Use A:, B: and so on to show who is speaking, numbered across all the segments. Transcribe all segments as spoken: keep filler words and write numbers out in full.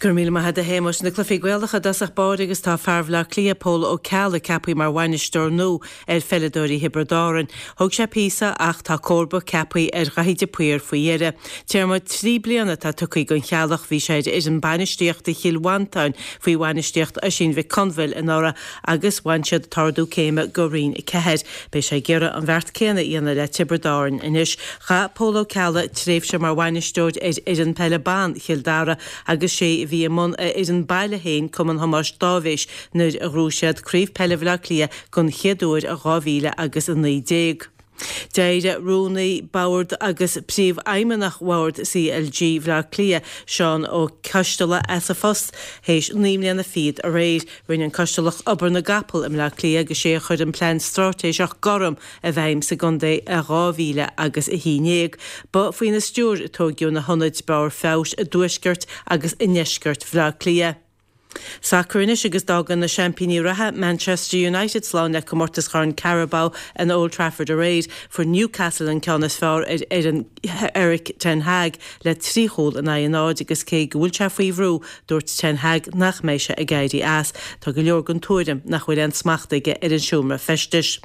A: Go raibh míle maith agat a Shéamais. Na cluichí Gaelacha i dtosach báire agus tá fear Bhaile Átha Cliath Pól Ó Ceallaigh ceaptha mar bhainisteoir nua ar pheileadóirí Thiobraid Árann. Thóg sé píosa ach tá comharba ceaptha ar Dhaithí de Paor faoi dheireadh. Téarma trí bliana atá tugtha don Cheallach, bhí sé ar fhoireann bainistíochta Chill Mhantáin faoi bhainistíocht Oisín Mhic Conbhail anuraidh agus bhain siad an t-ardú céime go Roinn a ceathair. Beidh sé ag iarraidh an bheart céanna a dhéanamh le Tiobraid Árann anois. Chaith Pól Ó Ceallaigh tréimhse mar bhainisteoir ar fhoireann peile ban Chill Dara agus sé a bhí i mbun a fhoireann baile féin, Cumann Thomáis Dáibhéis, nuair a ghnóthaigh siad Craobh Peile Bhaile Átha Cliath den chéad uair i dhá mhíle agus a naoi déag. D'éirigh Rúnaí Boird agus Príomhfheidhmeannach Bhord C L G Bhaile Átha Cliath, Seán Ó Coisteala, as a phost théis naoi mbliana fichead aréir. Rinne an Coistealach obair na gcapall i mBleá Cliath agus sé a chuir an plean straitéiseach gorm i bhfeidhm sa gcontae i dhá mhíle agus a haon déag. Ba faoina stiúir a tóigeadh na hionaid barr feabhais i dtuaisceart agus i ndeisceart Bhaile Átha Cliath. Sacar anois agus d'fhág na seaimpíní reatha Manchester United slán le comórtas Chorn Carabao in Old Trafford aréir. Fuair Newcastle an ceann is fearr ar fhoireann Erik ten Hag le trí chúl in aghaidh a náid agus cé go bhfuil sé faoi bhrú, dúirt ten Hag nach mbeidh sé ag éirí as. Tá go leor den tuairim nach bhfuil aon smacht aige ar an seomra feistis.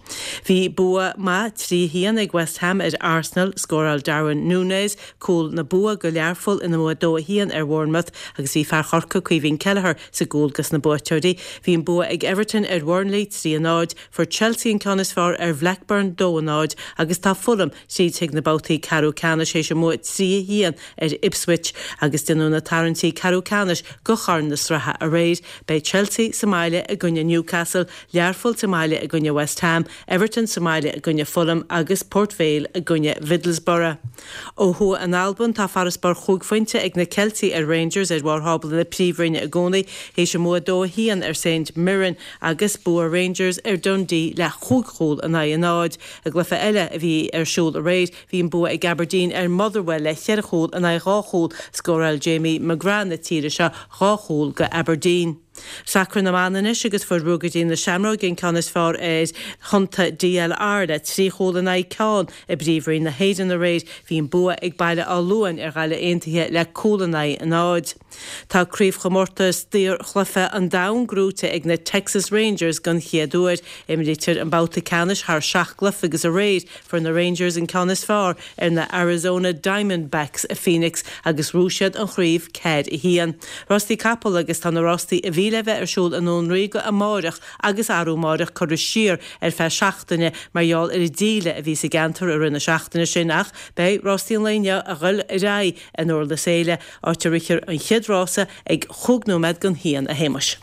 A: Bhí bua maith trí haon ag West Ham ar Arsenal, scóráil Darwin Núñez cúl na bua go Learpholl ina mbua dó a haon ar Bournemouth agus bhí fear Chorcaí Caoimhín Kelleher sa gcúl dos na buaiteoirí. Bhí an bua ag Everton ar Burnley trí a náid, fuair Chelsea an ceann is fearr ar Blackburn dó a náid agus tá Fulham tríd chuig na babhtaí ceathrú ceannais théis a mbua trí a haon ar Ipswich agus déanadh na tarraingtí ceathrú ceannais go Chorn na Sraithe aréir. Beidh Chelsea sa mbaile i gcoinne Newcastle, Learpholl sa mbaile i gcoinne West Ham, Everton sa mbaile i gcoinne Fulham agus Port Vale i gcoinne Middlesbrough. Ó thuaidh in Albain tá farasbarr chúig phointe ag na Ceiltigh ar Rangers ar bharr thábla na príomhroinne i gcónaí théis a mbua dó a haon ar Saint Mirren agus bua Rangers ar Dundee le chúig chúl in aghaidh a náid. I gcluiche eile a bhí ar siúl aréir bhí an bua ag Aberdeen ar Motherwell le ceithre chúl in aghaidh dhá chúl, scóráil Jamie McGrath na tíre seo dhá chúl go Aberdeen. Sacar na mban anois agus fuair Ruagairí na Seamróige an ceann is fearr ar Thonnta D L R le trí chúl in aghaidh ceann i bPríomhroinn na hÉireann aréir, bhí an bua ag Baile Átha Luain ar Ghaillimh Aontaithe le cúl in aghaidh a náid. Tá craobhchomórtas daorchluiche an domhain gnóthaithe ag na Texas Rangers den chéad uair. Imrítear an babhta ceannais thar seacht gcluiche agus aréir fuair na Rangers an ceann is fearr ar na Arizona Diamondbacks i Phoenix agus ghnóthaigh siad an chraobh ceathair a haon. Rástaí capall agus tá na rástaí a bhí le bheith ar siúl i nDún Ríoga amárach agus arú amárach curtha siar ar feadh seachtaine mar gheall ar an díle a bhí sa gceantar i rith na seachtaine sin ach beidh rástaí an lae inniu ag dul ar aghaidh in Durlas Éile, áit a rithfear an chéad rása ag chúig nóiméad don haon a Shéamais.